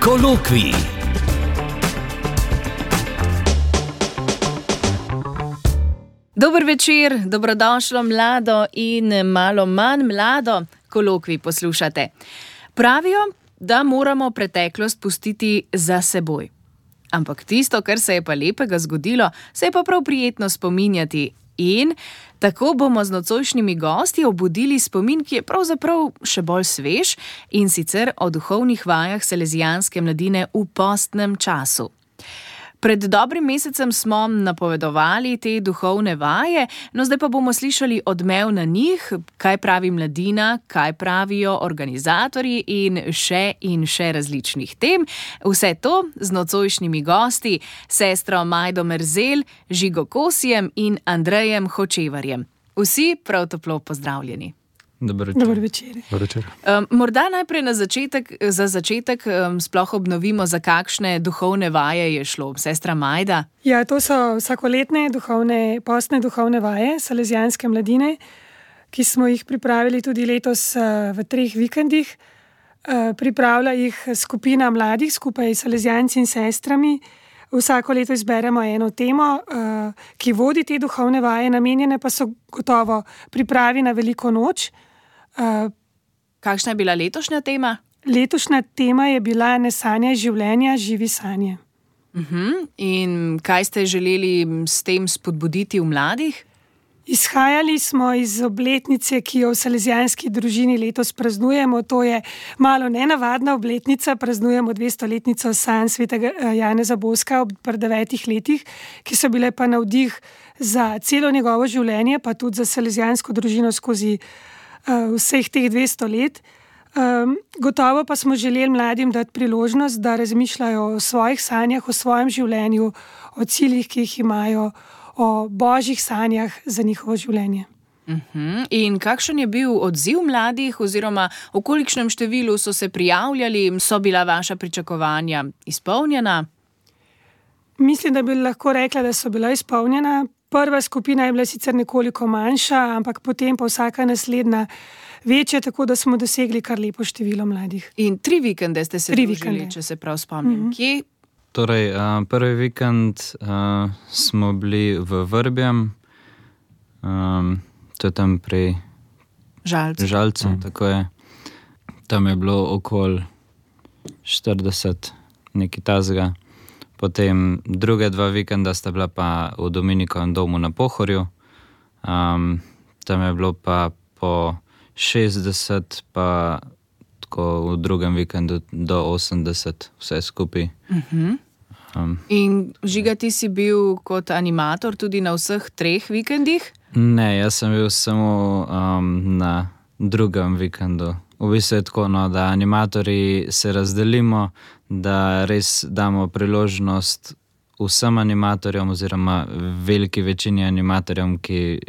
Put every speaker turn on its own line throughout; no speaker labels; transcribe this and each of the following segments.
Kolokvij.
Dober večer, dobrodošlo mlado in malo manj mlado. Kolokvij poslušate. Pravijo, da moramo preteklost pustiti za seboj. Ampak tisto, kar se je pa lepega zgodilo, se je pa prav prijetno spominjati. In tako bomo z nocojšnjimi gosti obudili spomin, ki je pravzaprav še bolj svež, in sicer o duhovnih vajah salezijanske mladine v postnem času. Pred dobrim mesecem smo napovedovali te duhovne vaje, no zdaj pa bomo slišali odmev na njih, kaj pravi mladina, kaj pravijo organizatorji in še različnih tem. Vse to z nocojšnjimi gosti, sestro Majdo Merzelj, Žigo Kosijem in Andrejem Hočevarjem. Vsi prav toplo pozdravljeni.
Dober večer.
Morda najprej za začetek sploh obnovimo, za kakšne duhovne vaje je šlo. Sestra Majda?
Ja, to so vsakoletne postne duhovne vaje salezijanske mladine, ki smo jih pripravili tudi letos v 3 vikendih. Pripravlja jih skupina mladih skupaj s salezijanci in sestrami. Vsako leto izberemo eno temo, ki vodi te duhovne vaje, namenjene pa so gotovo pripravi na veliko noč.
Kakšna je bila letošnja tema?
Letošnja tema je bila Ne sanjaj življenja, živi sanje.
In kaj ste želeli s tem spodbuditi v mladih?
Izhajali smo iz obletnice, ki jo v salezijanski družini letos praznujemo. To je malo nenavadna obletnica, praznujemo 200-letnico sanj svetega Janeza Boska pri 9 letih, ki so bile pa navdih za celo njegovo življenje, pa tudi za salezijansko družino skozi vseh teh 200 let. Gotovo pa smo želeli mladim dati priložnost, da razmišljajo o svojih sanjah, o svojem življenju, o ciljih, ki jih imajo, o božjih sanjah za njihovo življenje.
In kakšen je bil odziv mladih, oziroma v kolikšnem številu so se prijavljali, so bila vaša pričakovanja izpolnjena?
Mislim, da bi lahko rekla, da so bila izpolnjena. Prva skupina je bila sicer nekoliko manjša, ampak potem pa vsaka naslednja večja, tako da smo dosegli kar lepo število mladih.
In 3 vikende ste se družili, če se prav spomnim. Kje?
Torej, prvi vikend smo bili v Vrbjem, to je tam pri Žalcu, tako je. Tam je bilo okoli 40, nekaj tazga. Potem druge 2 vikenda sta bila pa v Dominikovem domu na Pohorju. Tam je bilo pa po 60, pa tako v drugem vikendu do 80, vse skupaj.
In Žiga, ti si bil kot animator tudi na vseh 3 vikendih?
Ne, jaz sem bil samo na drugem vikendu. V bistvu je tako, da animatorji se razdelimo, da res damo priložnost vsem animatorjem oziroma veliki večini animatorjem, ki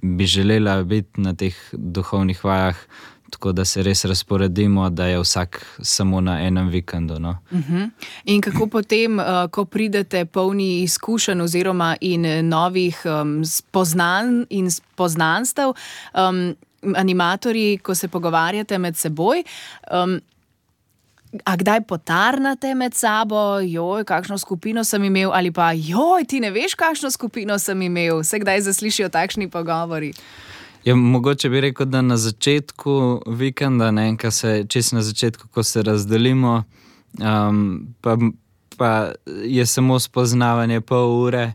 bi želela biti na teh duhovnih vajah, tako da se res razporedimo, da je vsak samo na enem vikendu.
In kako potem, ko pridete polni izkušenj oziroma in novih spoznanj in poznanstev, animatorji, ko se pogovarjate med seboj, a kdaj potarnate med sabo, joj, kakšno skupino sem imel, ali pa joj, ti ne veš, kakšno skupino sem imel, se kdaj zaslišijo takšni pogovori?
Ja, mogoče bi rekel, da na začetku vikenda, čisto na začetku, ko se razdelimo, pa je samo spoznavanje pol ure,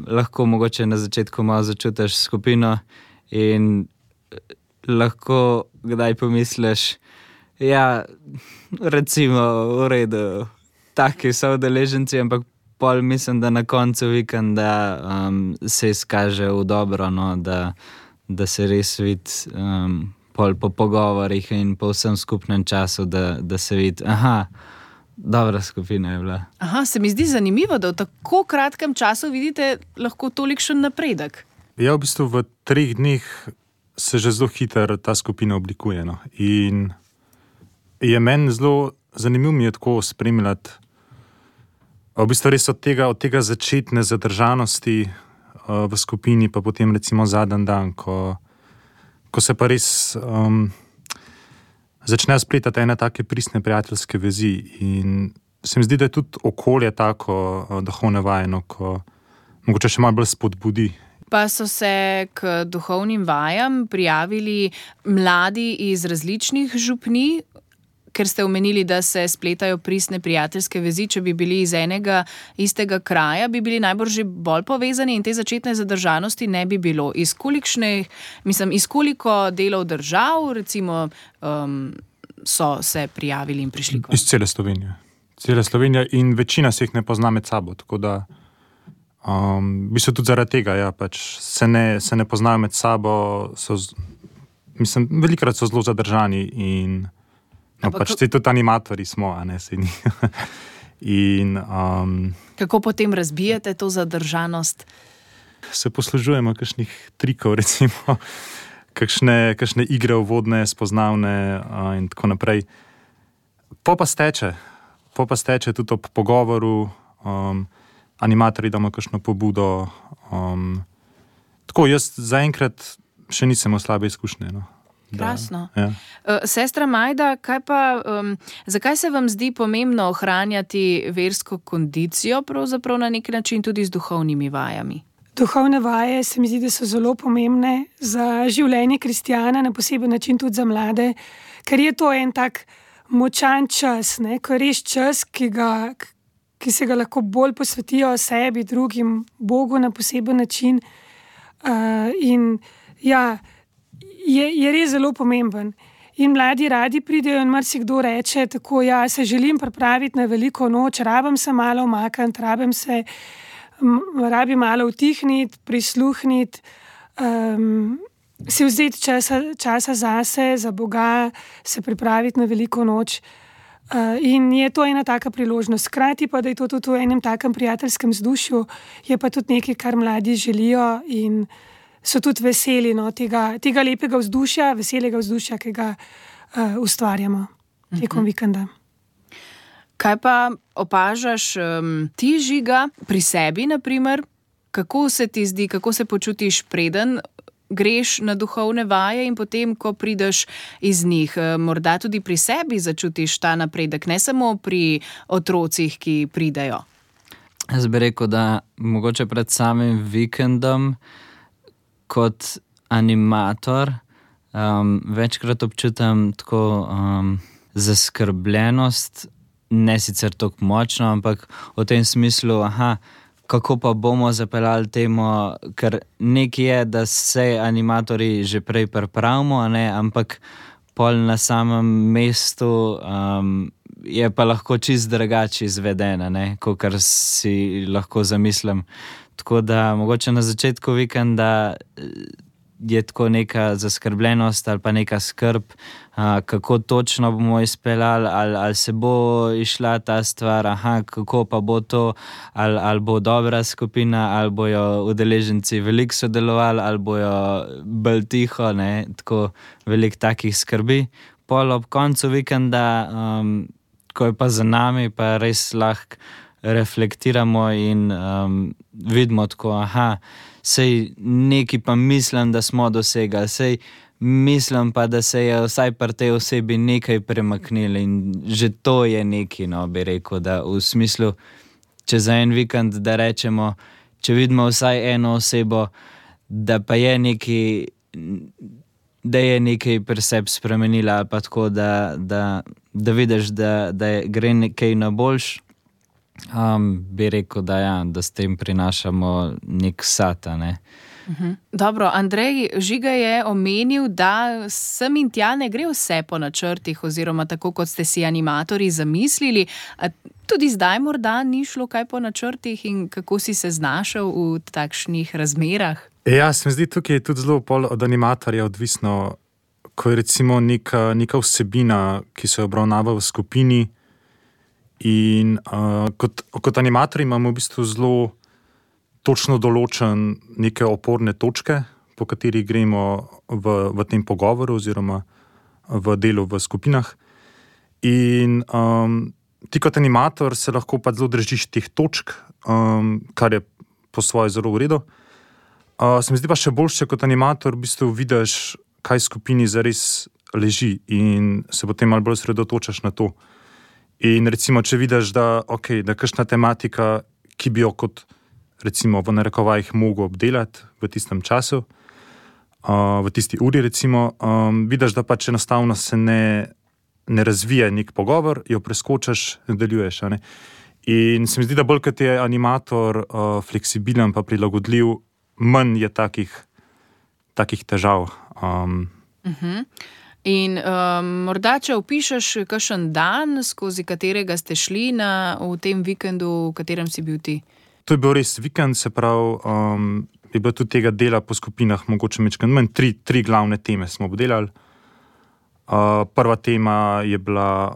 lahko mogoče na začetku malo začutiš skupino in lahko kdaj pomisliš, ja, recimo v redu, taki so udeleženci, ampak pol mislim, da na koncu vikenda se izkaže v dobro, da se res vidi pol po pogovorih in po vsem skupnem času, da se vidi, dobra skupina je bila.
Se mi zdi zanimivo, da v tako kratkem času vidite lahko tolikšen napredek.
Ja, v bistvu v 3 dneh se že zelo hitro ta skupina oblikuje. In je meni zelo zanimivo mi je tako spremljati v bistvu res od tega začetne zadržanosti v skupini, pa potem recimo zadnji dan, ko se pa res začnejo spletati ene take pristne prijateljske vezi. In se mi zdi, da je tudi okolje tako duhovno vajeno, ko mogoče še malo bolj spodbudi.
Pa so se k duhovnim vajam prijavili mladi iz različnih župnij, ker ste omenili, da se spletajo pristne prijateljske vezi, če bi bili iz enega istega kraja, bi bili najbrž že bolj povezani in te začetne zadržanosti ne bi bilo. Iz koliko delov držav, recimo, so se prijavili in prišli k vam?
Iz cele Slovenije. Cela Slovenija in večina se jih ne pozna med sabo, tako da v bistvu tudi zaradi tega, ja, pač se ne poznajo med sabo, velikokrat so zelo zadržani in pač tudi animatorji smo, a ne se ni. In
kako potem razbijete to zadržanost?
Se poslužujemo kakšnih trikov, recimo, kakšne igre uvodne, spoznavne in tako naprej. Po pa steče tudi ob pogovoru, animatorji damo kakšno pobudo. Tako, jaz zaenkrat še nisem imel slabe izkušnje. No.
Krasno.
Ja.
Sestra Majda, zakaj se vam zdi pomembno ohranjati versko kondicijo, pravzaprav na nek način tudi z duhovnimi vajami?
Duhovne vaje se mi zdi, da so zelo pomembne za življenje kristjana, na poseben način tudi za mlade, ker je to en tak močan čas, ne? Ko je res čas, ki se ga lahko bolj posvetijo sebi, drugim, Bogu na poseben način. In ja, je res zelo pomemben. In mladi radi pridejo in marsikdo reče tako, ja, se želim pripraviti na veliko noč, rabim se malo umakniti, rabim malo utihniti, prisluhniti, si vzeti časa zase, za Boga, se pripraviti na veliko noč. In je to ena taka priložnost. Hkrati pa, da je to tudi v enem takem prijateljskem vzdušju, je pa tudi nekaj, kar mladi želijo in so tudi veseli tega lepega vzdušja, veselega vzdušja, ki ga ustvarjamo tekom vikenda.
Kaj pa opažaš ti, Žiga, pri sebi, naprimer? Kako se ti zdi, kako se počutiš, preden greš na duhovne vaje in potem, ko prideš iz njih? Morda tudi pri sebi začutiš ta napredek, ne samo pri otrocih, ki pridejo.
Jaz bi rekel, da mogoče pred samim vikendom kot animator večkrat občutam tako zaskrbljenost, ne sicer tako močno, ampak v tem smislu, kako pa bomo zapeljali temo, ker nekaj je, da se animatorji že prej pripravimo, ampak pol na samem mestu je pa lahko čist drugače izvedena, kakor si lahko zamislim. Tako da mogoče na začetku vikenda je tako neka zaskrbljenost ali pa neka skrb, kako točno bomo izpeljali, ali se bo išla ta stvar, kako pa bo to, ali bo dobra skupina, ali bojo udeleženci veliko sodelovali, ali bojo bolj tiho, tako veliko takih skrbi. Pol ob koncu vikenda, ko je pa za nami, pa res lahko reflektiramo in vidimo tako, sej nekaj pa mislim, da smo dosegali, sej mislim pa, da se je vsaj pri tej osebi nekaj premaknilo in že to je nekaj, bi rekel, da v smislu, če za en vikend, da rečemo, če vidimo vsaj eno osebo, da pa je nekaj, da je nekaj pri sebi spremenila, pa tako, da vidiš, da gre nekaj na boljš, bi rekel, da s tem prinašamo nek sata,
Dobro, Andrej, Žiga je omenil, da sem in tja ne gre vse po načrtih oziroma tako, kot ste si animatorji zamislili. Tudi zdaj morda ni šlo kaj po načrtih in kako si se znašel v takšnih razmerah?
Ja, se mi zdi, tukaj je tudi zelo od animatorja odvisno, ko je recimo neka vsebina, ki se obravnava v skupini. In kot animatorji imamo v bistvu zelo točno določen neke oporne točke, po katerih gremo v tem pogovoru oziroma v delu v skupinah. In ti kot animator se lahko pa zelo držiš teh točk, kar je po svoje zelo v redu. Se mi zdi pa še boljše kot animator, v bistvu vidiš, kaj skupini zares leži in se potem malo bolj sredotočaš na to. In recimo, če vidiš, da je kakšna tematika, ki bi jo kot recimo v narekovajih mogel obdelati v tistem času, v tisti uri recimo, vidiš, da pač enostavno se ne razvije nek pogovor, jo preskočiš, nadaljuješ. In se mi zdi, da bolj kot je animator fleksibilen pa prilagodljiv, manj je takih težav.
In morda, če opišeš kakšen dan, skozi katerega ste šli v tem vikendu, v katerem si bil ti?
To je bil res vikend, se pravi, je bilo tudi tega dela po skupinah mogoče majčkeno manj. Tri glavne teme smo obdelali. Prva tema je bila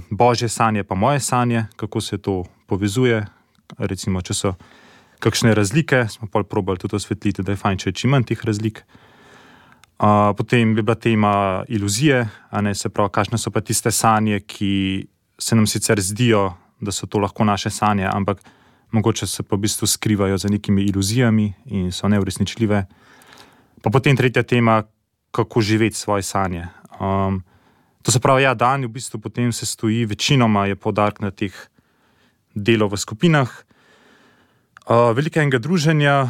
Božje sanje pa moje sanje, kako se to povezuje. Recimo, če so kakšne razlike, smo pol probali tudi osvetliti, da je fajn, če je čim manj teh razlik. Potem je bila tema iluzije, se pravi, kakšne so pa tiste sanje, ki se nam sicer zdijo, da so to lahko naše sanje, ampak mogoče se pa v bistvu skrivajo za nekimi iluzijami in so neuresničljive. Pa potem tretja tema, kako živeti svoje sanje. To se pravi, dan v bistvu potem se stoji, večinoma je poudarek na teh delov v skupinah, veliko enega druženja,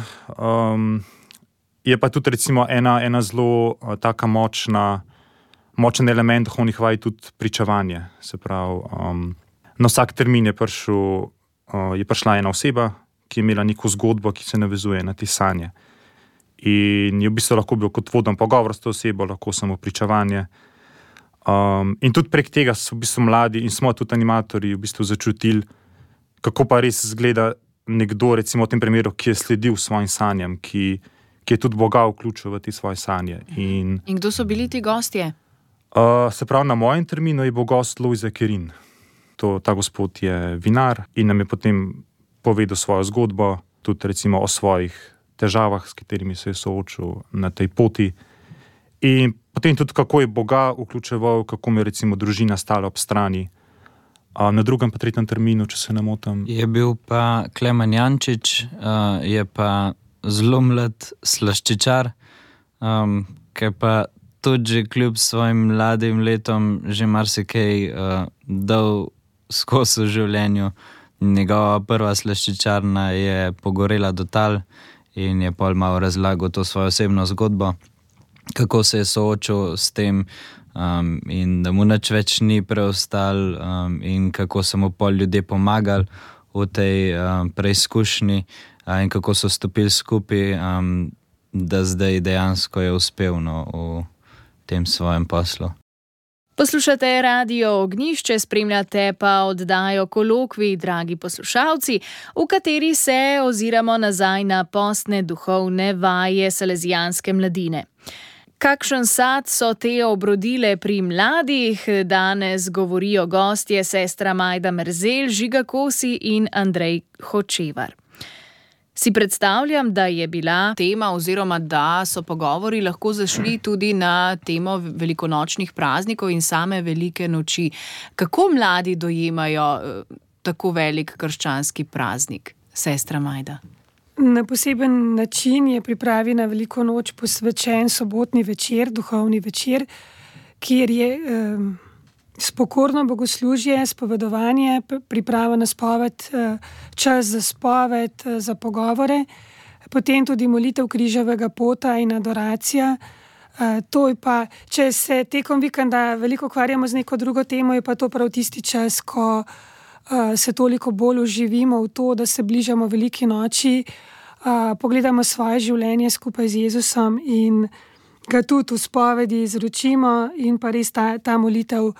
je pa tudi recimo ena zelo taka močen element duhovnih vaj tudi pričevanje. Se pravi, na vsak termin je prišla ena oseba, ki je imela neko zgodbo, ki se navezuje na te sanje. In je v bistvu lahko bil kot voden pogovor s to osebo, lahko samo pričevanje. In tudi prek tega so v bistvu mladi in smo tudi animatorji v bistvu začutili, kako pa res izgleda nekdo, recimo v tem primeru, ki je sledil svojim sanjam, ki je tudi Boga vključil v te svoje sanje.
In kdo so bili ti gostje?
Se pravi, na mojem terminu je bil gost Lojze Kerin. Ta gospod je vinar in nam je potem povedal svojo zgodbo, tudi recimo o svojih težavah, s katerimi se je soočil na tej poti. In potem tudi, kako je Boga vključeval, kako mu je recimo družina stala ob strani. Na drugem pa tretjem terminu, če se ne motim.
Je bil pa Klemen Jančič, je pa zelo mlad slaščičar, ki pa tudi kljub svojim mladim letom že marsikaj dal skozi v življenju. Njegova prva slaščičarna je pogorela do tal in je pol malo razlagal to svojo osebno zgodbo, kako se je soočil s tem in da mu nič več ni preostal in kako so mu pol ljudje pomagali v tej preizkušnji in kako so stopili skupaj, da zdaj dejansko je uspel v tem svojem poslu.
Poslušate Radio Ognjišče, spremljate pa oddajo Kolokvij, dragi poslušalci, v kateri se oziramo nazaj na postne duhovne vaje salezijanske mladine. Kakšen sad so te obrodile pri mladih? Danes govorijo gostje sestra Majda Merzelj, Žiga Kosi in Andrej Hočevar. Si predstavljam, da je bila tema oziroma da so pogovori lahko zašli tudi na temo velikonočnih praznikov in same velike noči. Kako mladi dojemajo tako velik krščanski praznik, sestra Majda?
Na poseben način je pripravljena veliko noč posvečen sobotni večer, duhovni večer, kjer je spokorno bogoslužje, spovedovanje, priprava na spoved, čas za spoved, za pogovore, potem tudi molitev križevega pota in adoracija. To je pa, če se tekom vikenda veliko ukvarjamo z neko drugo temo, je pa to prav tisti čas, ko se toliko bolj uživimo v to, da se bližamo veliki noči, pogledamo svoje življenje skupaj z Jezusom in ga tudi v spovedi izročimo in pa res ta molitev,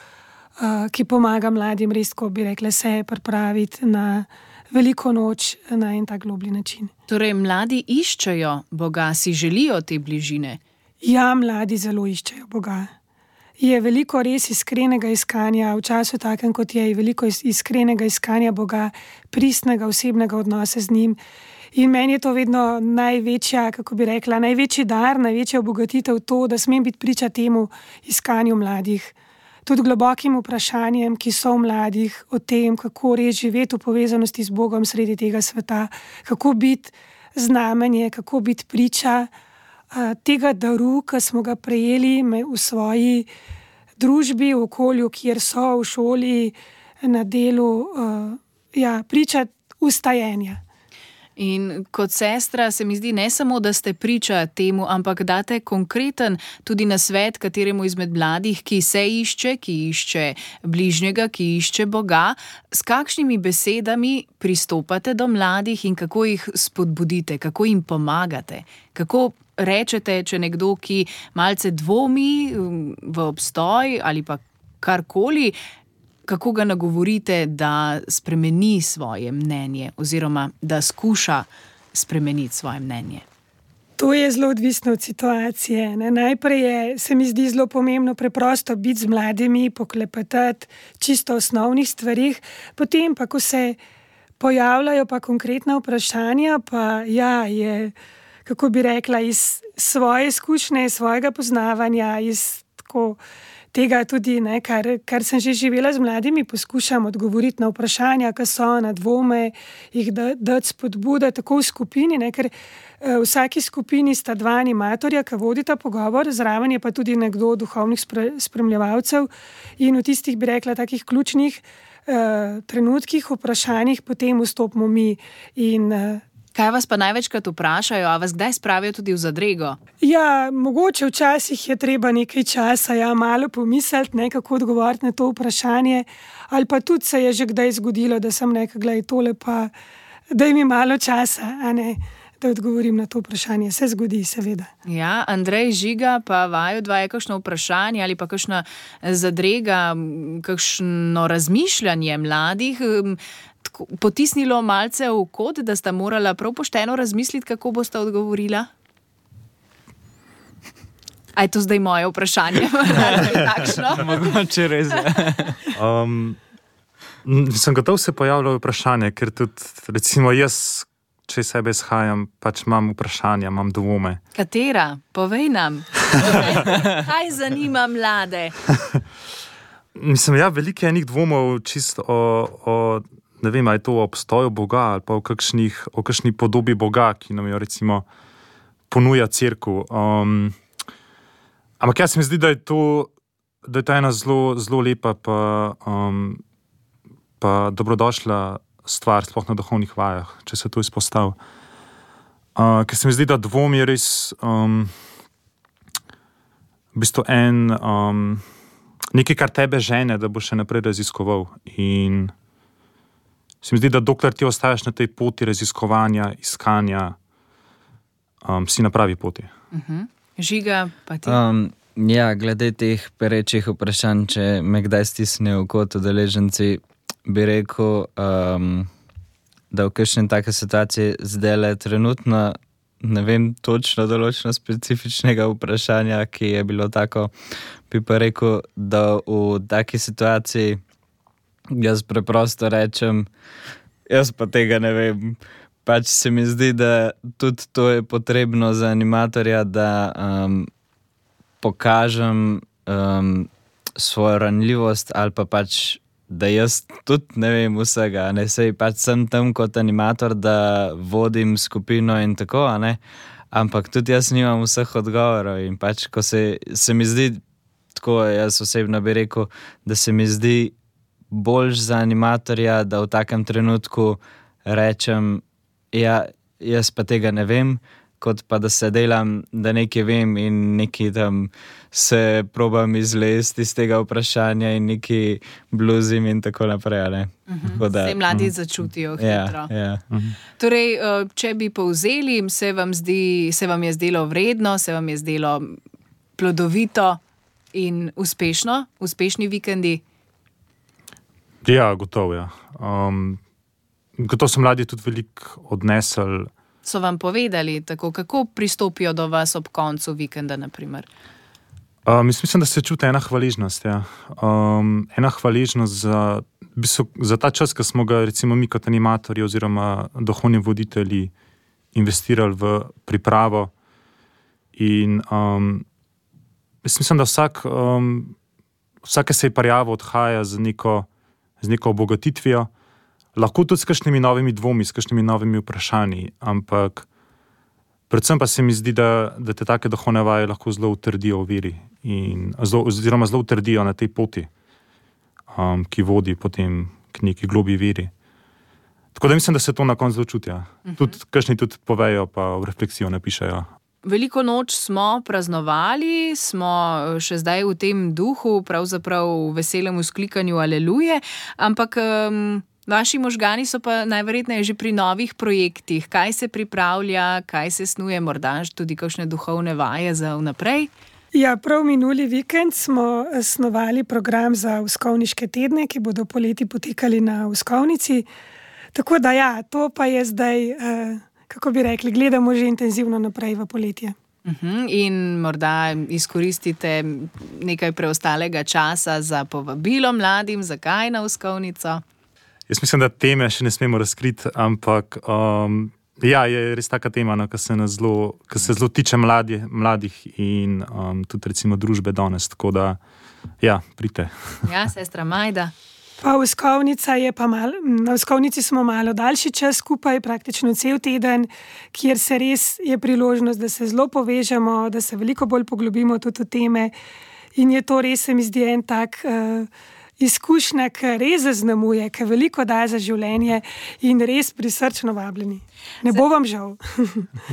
ki pomaga mladim res, ko bi rekla, se pripraviti na veliko noč na en tak globlji način.
Torej, mladi iščejo Boga, si želijo te bližine?
Ja, mladi zelo iščejo Boga. Je veliko res iskrenega iskanja, v času takem, kot je veliko iskrenega iskanja Boga, pristnega osebnega odnosa z njim. In meni je to vedno največja, kako bi rekla, največji dar, največja obogatitev to, da smem biti priča temu iskanju mladih. Tudi globokim vprašanjem, ki so v mladih, o tem, kako res živeti v povezanosti z Bogom sredi tega sveta, kako biti znamenje, kako biti priča tega daru, ki smo ga prejeli v svoji družbi, v okolju, kjer so, v šoli, na delu, priča ustajenja.
In kot sestra se mi zdi ne samo, da ste priča temu, ampak date konkreten tudi nasvet kateremu izmed mladih, ki se išče, ki išče bližnjega, ki išče Boga. S kakšnimi besedami pristopate do mladih in kako jih spodbudite, kako jim pomagate? Kako rečete, če nekdo, ki malce dvomi v obstoj ali pa karkoli, kako ga nagovorite, da spremeni svoje mnenje oziroma da skuša spremeniti svoje mnenje?
To je zelo odvisno od situacije. Najprej se mi zdi zelo pomembno preprosto biti z mladimi, poklepetati čisto o osnovnih stvarih, potem pa, ko se pojavljajo pa konkretna vprašanja, pa je, kako bi rekla, iz svoje izkušnje, svojega poznavanja, iz tako tega tudi, kar sem že živela z mladimi, poskušam odgovoriti na vprašanja, ki so, na dvome, jih dati spodbude tako v skupini, ker v vsaki skupini sta dva animatorja, ki vodita pogovor, zraven je pa tudi nekdo od duhovnih spremljevalcev in v tistih, bi rekla, takih ključnih trenutkih, vprašanjih potem vstopimo mi in
kaj vas pa največkrat vprašajo, a vas kdaj spravijo tudi v zadrego?
Ja, mogoče včasih je treba nekaj časa, malo pomisliti, kako odgovoriti na to vprašanje, ali pa tudi se je že kdaj zgodilo, da sem nekaj, gledaj tole pa, daj mi malo časa, da odgovorim na to vprašanje. Se zgodi, seveda.
Ja, Andrej, Žiga, pa vaju dva je kakšno vprašanje ali pa kakšna zadrega, kakšno razmišljanje mladih potisnilo malce v kot, da sta morala prav pošteno razmisliti, kako boste odgovorila? A je to zdaj moje vprašanje?
Mogoče res.
Sem gotov se pojavljalo vprašanje, ker tudi, recimo, jaz, če sebe izhajam, pač imam vprašanja, imam dvome.
Katera? Povej nam. Kaj zanima mlade?
Mislim, veliko je enih dvomov čisto o ne vem, ali je to o obstoju Boga ali pa o kakšni podobi Boga, ki nam jo recimo ponuja cerkev. Ampak jaz se mi zdi, da je to ena zelo lepa pa dobrodošla stvar, sploh na duhovnih vajah, če se to izpostavi. Ker se mi zdi, da dvom je res v bistvu nekaj, kar tebe žene, da boš še naprej raziskoval. In se mi zdi, da dokler ti ostaješ na tej poti raziskovanja, iskanja, si na pravi poti.
Žiga, pa ti?
Glede teh perečih vprašanj, če me kdaj stisnejo kot udeleženci, bi rekel, da v kakšni take situaciji zdajle trenutno ne vem točno določeno specifičnega vprašanja, ki je bilo tako, bi pa rekel, da v taki situaciji jaz preprosto rečem, jaz pa tega ne vem. Pač se mi zdi, da tudi to je potrebno za animatorja, da pokažem svojo ranljivost ali pa pač, da jaz tudi ne vem vsega. Sej pač sem tam kot animator, da vodim skupino in tako, ampak tudi jaz nimam vseh odgovorov in pač, ko se mi zdi, tako jaz osebno bi rekel, da se mi zdi boljš za animatorja, da v takem trenutku rečem, jaz pa tega ne vem, kot pa da se delam, da nekaj vem in nekaj tam se probam izlesti iz tega vprašanja in nekaj bluzim in tako naprej.
Se mladi začutijo hitro. Torej, če bi povzeli, se vam je zdelo vredno, se vam je zdelo plodovito in uspešni vikendi?
Ja, gotovo, gotovo so mladi tudi veliko odnesli.
So vam povedali tako, kako pristopijo do vas ob koncu vikenda, naprimer?
Mislim, da se čuti ena hvaležnost. Ena hvaležnost za ta čas, ki smo ga recimo mi kot animatorji oziroma duhovni voditelji investirali v pripravo. In mislim, da vsake se je prijavo odhaja z neko obogatitvijo, lahko tudi s kakšnimi novimi dvomi, s kakšnimi novimi vprašanji, ampak Predvsem pa se mi zdi, da te take duhovne vaje lahko zelo utrdijo v veri oziroma zelo utrdijo na tej poti, ki vodi potem k neki globlji veri. Tako da mislim, da se to na koncu čutijo. Tudi kakšni tudi povejo, pa v refleksijo napišejo.
Veliko noč smo praznovali, smo še zdaj v tem duhu, pravzaprav v veselem vzklikanju aleluje, ampak vaši možgani so pa najverjetneje že pri novih projektih. Kaj se pripravlja, kaj se snuje, morda tudi kakšne duhovne vaje za vnaprej?
Ja, prav minuli vikend smo snovali program za Uskovniške tedne, ki bodo poleti potekali na Uskovnici. Tako da ja, to pa je zdaj, kako bi rekli, gledamo že intenzivno naprej v poletje.
In morda izkoristite nekaj preostalega časa za povabilo mladim, zakaj na Uskovnico?
Jaz mislim, da teme še ne smemo razkriti, ampak je res taka tema, ki se zelo tiče mladih in tudi recimo družbe danes, tako da pridite.
Ja, sestra Majda.
Pa na Uskovnici smo malo daljši čas skupaj, praktično cel teden, kjer se res je priložnost, da se zelo povežemo, da se veliko bolj poglobimo tudi v teme in je to res, se mi zdi, en tak izkušnja, ki res zaznamuje, ki veliko daje za življenje in res prisrčno vabljeni. Ne bo vam žal.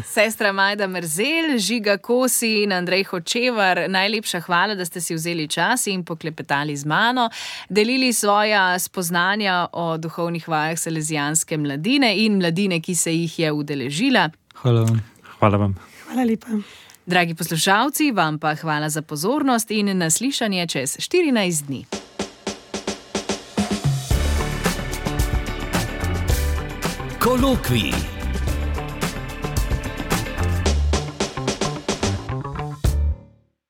Sestra Majda Merzelj, Žiga Kosi in Andrej Hočevar, najlepša hvala, da ste si vzeli čas in poklepetali z mano, delili svoja spoznanja o duhovnih vajah salezijanske mladine in mladine, ki se jih je udeležila.
Hvala vam.
Hvala vam.
Hvala lepa.
Dragi poslušalci, vam pa hvala za pozornost in naslišanje čez 14 dni.
Kolokvij.